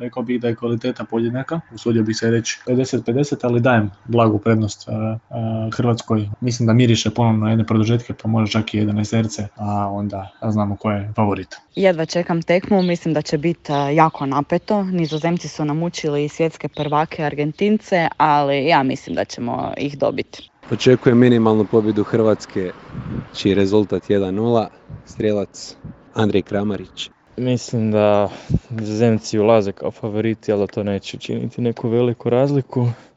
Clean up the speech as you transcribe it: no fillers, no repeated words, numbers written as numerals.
Rekao bih da je kvaliteta podjednaka, usudio bih se reći 50-50, ali dajem blagu prednost Hrvatskoj. Mislim da miriše ponovno na jedne produžetke, pa možda čak i 11, a onda znamo ko je favorit. Jedva čekam tekmu, mislim da će biti jako napeto. Nizozemci su namučili svjetske prvake Argentince, ali ja mislim da ćemo ih dobiti. Očekujem minimalnu pobjedu Hrvatske, čiji rezultat 1-0, strijelac Andrej Kramarić. Mislim da Nizozemci ulaze kao favoriti, ali to neće učiniti neku veliku razliku.